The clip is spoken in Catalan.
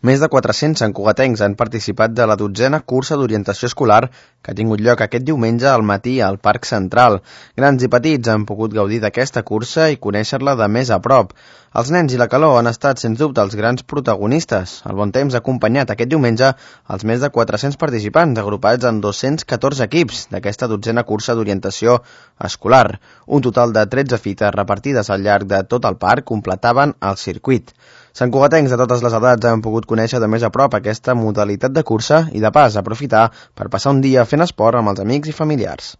Més de 400 santcugatencs han participat de la 12a cursa d'orientació escolar que ha tingut lloc aquest diumenge al matí al Parc Central. Grans i petits han pogut gaudir d'aquesta cursa i conèixer-la de més a prop. Els nens i la calor han estat, sens dubte, els grans protagonistes. El bon temps ha acompanyat aquest diumenge els més de 400 participants, agrupats en 214 equips d'aquesta 12a cursa d'orientació escolar. Un total de 13 fites repartides al llarg de tot el parc completaven el circuit. Santcugatencs de totes les edats han pogut conèixer de més a prop aquesta modalitat de cursa i, de pas, aprofitar per passar un dia fent esport amb els amics i familiars.